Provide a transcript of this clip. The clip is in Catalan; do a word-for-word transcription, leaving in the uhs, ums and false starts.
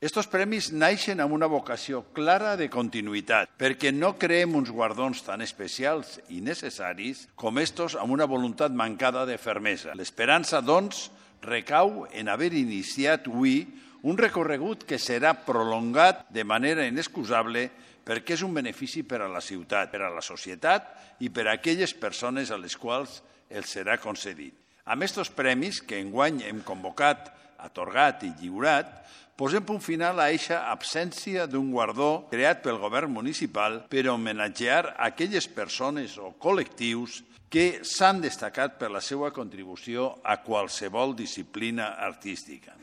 Estos premis naixen amb una vocació clara de continuïtat, perquè no creem uns guardons tan especials i necessaris com estos amb una voluntat mancada de fermesa. L'esperança, doncs, recau en haver iniciat avui un recorregut que serà prolongat de manera inexcusable perquè és un benefici per a la ciutat, per a la societat i per a aquelles persones a les quals els serà concedit. Amb aquests premis que enguany hem convocat, atorgat i lliurat, posem punt final a eixa absència d'un guardó creat pel govern municipal per homenatjar aquelles persones o col·lectius que s'han destacat per la seva contribució a qualsevol disciplina artística.